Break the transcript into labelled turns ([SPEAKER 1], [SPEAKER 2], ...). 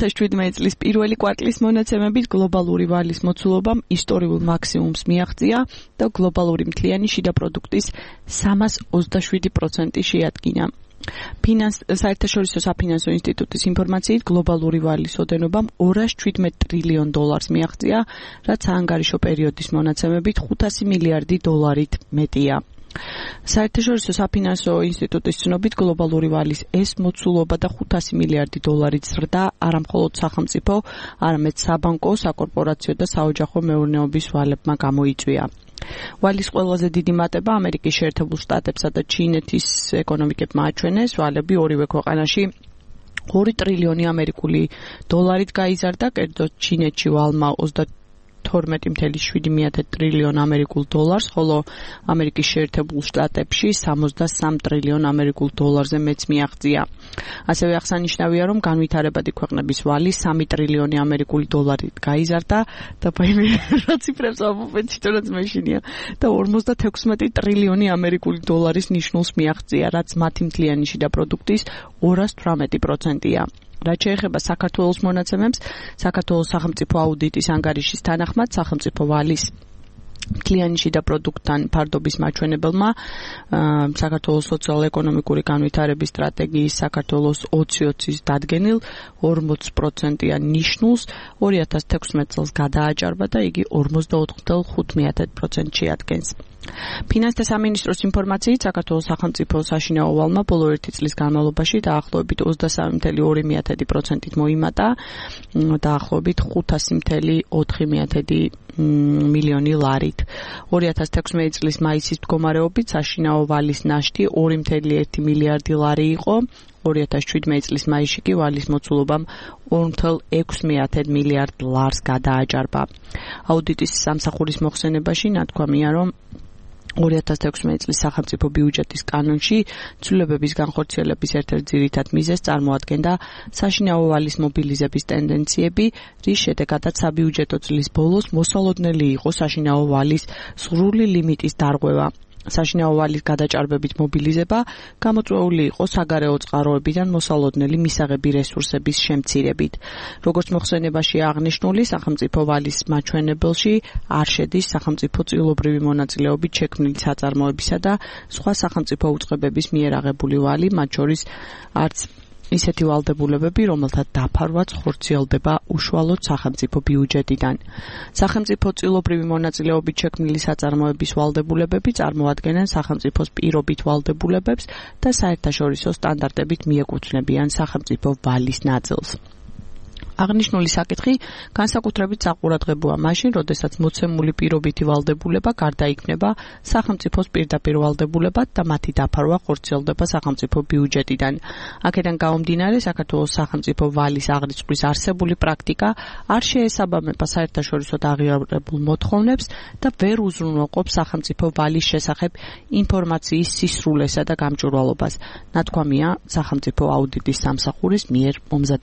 [SPEAKER 1] 2017 წლის პირველი კვარტლის მონაცემებით გლობალური ვალის მოცულობამ ისტორიულ მაქსიმუმს მიაღწია და გლობალური მთლიანი შიდა პროდუქტის 327% შეადგინა. საერთაშორისო საფინანსო ინსტიტუტის ინფორმაციით გლობალური ვალის ოდენობამ $217 ტრილიონ მიაღწია, რაც ანგარიშო პერიოდის მონაცემებით $500 მილიარდი მეტია. საერთაშორისო საფინანსო ინსტიტუტის ცნობით გლობალური ვალის ეს მოცულობა და $500 მილიარდი ზრდა არამხოლოდ სახელმწიფო, არამედ საბანკო, საკორპორაციო და საოჯახო მეურნეობის ვალებმა გამოიწვია. ვალის ყველაზე დიდი მატება ამერიკის შეერთებულ შტატებსა და ჩინეთის ეკონომიკებმა აჩვენეს. ვალები ორივე ქვეყანაში $2 ტრილიონი ამერიკული დოლარით გაიზარდა, კერძოდ ჩინეთში ვალმა 22.7 ტრილიონ ამერიკულ დოლარს, ხოლო ამერიკის შეერთებულ შტატებში 63 ტრილიონ ამერიკულ დოლარზე მეც მიაღწია. ასევე აღსანიშნავია, რომ განვითარებადი ქვეყნების ვალი 3 ტრილიონი ამერიკული დოლარით გაიზარდა და რა ციფრებს ამოვეთ თვითონაც მეშინია და 56 ტრილიონი ამერიკული დოლარის ნიშნულს მიაღწია, რაც მათი მთლიანი შიდა პროდუქტის 218%-ია. რაც შეეხება საქართველოს მონაცემებს, საქართველოს სახელმწიფო აუდიტის ანგარიშის თანახმად სახელმწიფო ვალის მთლიანი შიდა პროდუქტთან ფარდობის მაჩვენებელმა საქართველოს სოციალურ-ეკონომიკური განვითარების სტრატეგიის საქართველოს 2020-ის დადგენილ 40%-იან ნიშნულს 2016 წელს გადააჭარბა და იგი 44.5% შეადგენს. ფინანსთა სამინისტროს ინფორმაციით საქართველოს სახელმწიფო საშინაო ვალმა ბოლო 1 წლის განმავლობაში დაახლოებით 23.2%-ით მოიმატა, დაახლოებით 500.4 მილიონი ლარით. 2016 წლის მაისის მდგომარეობით საშინაო ვალის ნაშთი 2.1 მილიარდი ლარი იყო. 2017 წლის მაისში კი ვალის მოცულობამ 2.6 მილიარდ ლარს გადააჭარბა. აუდიტის სამსახურის მოხსენებაში ნათქვამია, რომ 2016 წლის სახელმწიფო ბიუჯეტის კანონში ცვლილებების განხორციელების ერთ-ერთ ძირითად მიზეზს წარმოადგენდა საშინაო ვალის მობილიზების ტენდენციები, რის შედეგადაც საბიუჯეტო წლის ბოლოს მოსალოდნელი იყო საშინაო ვალის სრული ლიმიტის დარღვევა. საშინაო ვალის გადაჭარბებით მობილიზება გამოწვეული იყო საგარეო წყაროებიდან მოსალოდნელი მისაღები რესურსების შემცირებით. როგორც მოხსენებაში აღნიშნული, სახელმწიფო ვალის მაჩვენებელში არ შედის სახელმწიფო წილობრივი მონაწილეობით შექმნილი საწარმოებისა და სხვა სახელმწიფო უწყებების მიერ აღებული ვალი, მათ შორის არც ისეთი ვალდებულებები, რომელთა დაფარვაც ხორციელდება უშუალოდ სახელმწიფო ბიუჯეტიდან. სახელმწიფო წილობრივი მონაწილეობით შექმნილი საწარმოების ვალდებულებები წარმოადგენენ სახელმწიფოს პირობით ვალდებულებებს და საერთაშორისო სტანდარტებით მიეკუთვნებიან სახელმწიფო ვალის ნაწილს. აღნიშნული საკითხი განსაკუთრებით საყურადღებოა მაშინ, როდესაც მოცემული პირობითი ვალდებულება გარდაიქმნება სახელმწიფოს პირდაპირ ვალდებულებად და მათი დაფარვა ხორციელდება სახელმწიფო ბიუჯეტიდან. აქედან გამომდინარე, საქართველოს სახელმწიფო ვალის აღრიცხვის არსებული პრაქტიკა არ შეესაბამება საერთაშორისოდ აღიარებულ მოთხოვნებს და ვერ უზრუნველყოფს სახელმწიფო ვალის შესახებ ინფორმაციის სისრულესა და გამჭვირვალობას. ნათქვამია სახელმწიფო აუდიტის სამსახურის მიერ მომზადებული